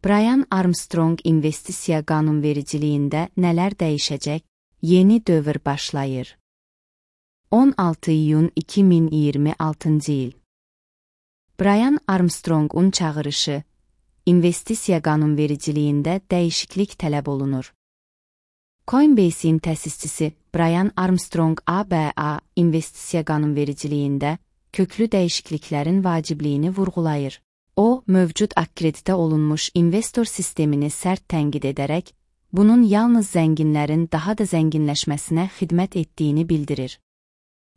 Brian Armstrong investisiya qanunvericiliyində nələr dəyişəcək? Yeni dövr başlayır. 16 iyun 2026-cı il. Brian Armstrongun çağırışı, investisiya qanunvericiliyində dəyişiklik tələb olunur. Coinbase'in təsisçisi Brian Armstrong ABA investisiya qanunvericiliyində köklü dəyişikliklərin vacibliyini vurğulayır. O, mövcud akkreditə olunmuş investor sistemini sərt tənqid edərək, bunun yalnız zənginlərin daha da zənginləşməsinə xidmət etdiyini bildirir.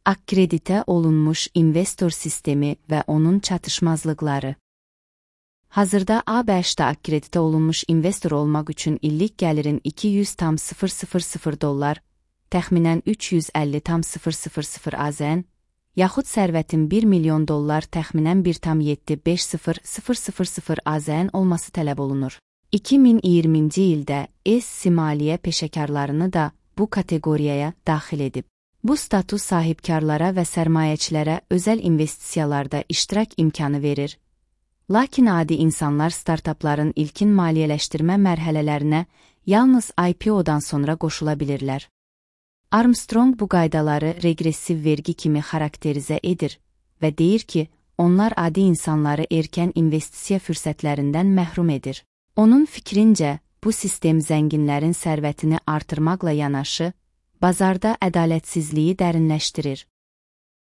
Akkreditə olunmuş investor sistemi və onun çatışmazlıqları. Hazırda ABŞ-da akkreditə olunmuş investor olmaq üçün illik gəlirin $200,000, təxminən $350,000 AZN, yaxud sərvətin $1 milyon, təxminən $1,750,000 AZN olması tələb olunur. 2020-ci ildə ESC maliyyə peşəkarlarını da bu kateqoriyaya daxil edib. Bu status sahibkarlara və sərmayəçilərə özəl investisiyalarda iştirak imkanı verir. Lakin adi insanlar startapların ilkin maliyyələşdirmə mərhələlərinə yalnız IPO-dan sonra qoşula bilirlər. Armstrong bu qaydaları regressiv vergi kimi xarakterizə edir və deyir ki, onlar adi insanları erkən investisiya fürsətlərindən məhrum edir. Onun fikrincə, bu sistem zənginlərin sərvətini artırmaqla yanaşı, bazarda ədalətsizliyi dərinləşdirir.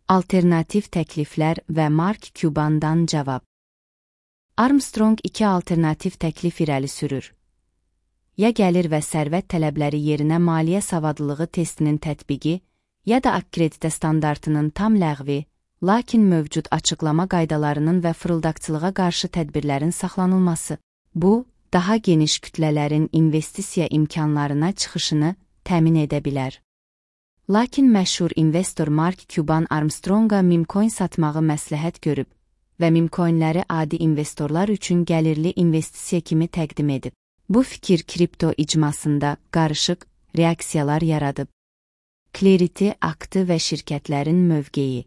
Alternativ təkliflər və Mark Cuban'dan cavab. Armstrong iki alternativ təklif irəli sürür. Ya gəlir və sərvət tələbləri yerinə maliyyə savadlılığı testinin tətbiqi, ya da akkreditə standartının tam ləğvi, lakin mövcud açıqlama qaydalarının və fırıldaqçılığa qarşı tədbirlərin saxlanılması. Bu, daha geniş kütlələrin investisiya imkanlarına çıxışını təmin edə bilər. Lakin məşhur investor Mark Cuban Armstronga meme-coin satmağı məsləhət görüb və meme-coinləri adi investorlar üçün gəlirli investisiya kimi təqdim edib. Bu fikir kripto icmasında qarışıq reaksiyalar yaradıb. Clarity aktı və şirkətlərin mövqeyi.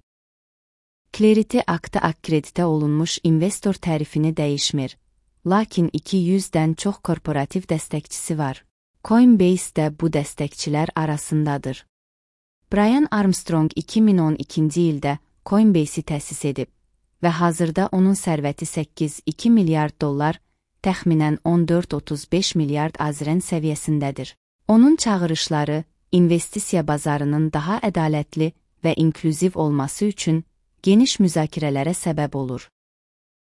Clarity aktı akkreditə olunmuş investor tərifini dəyişmir, lakin 200-dən çox korporativ dəstəkçisi var. Coinbase də bu dəstəkçilər arasındadır. Brian Armstrong 2012-ci ildə Coinbase'i təsis edib və hazırda onun sərvəti $8,2 milyard, təxminən 14-35 milyard AZN səviyyəsindədir. Onun çağırışları, investisiya bazarının daha ədalətli və inklüziv olması üçün geniş müzakirələrə səbəb olur.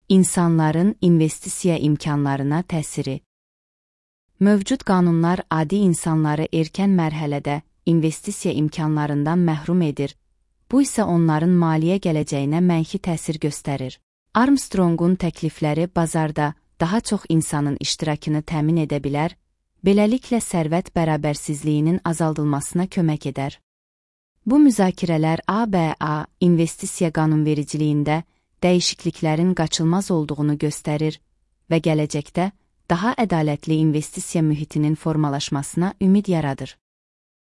İnsanların investisiya imkanlarına təsiri. Mövcud qanunlar adi insanları erkən mərhələdə investisiya imkanlarından məhrum edir, bu isə onların maliyyə gələcəyinə mənfi təsir göstərir. Armstrongun təklifləri bazarda daha çox insanın iştirakını təmin edə bilər, beləliklə sərvət bərabərsizliyinin azaldılmasına kömək edər. Bu müzakirələr ABA investisiya qanunvericiliyində dəyişikliklərin qaçılmaz olduğunu göstərir və gələcəkdə daha ədalətli investisiya mühitinin formalaşmasına ümid yaradır.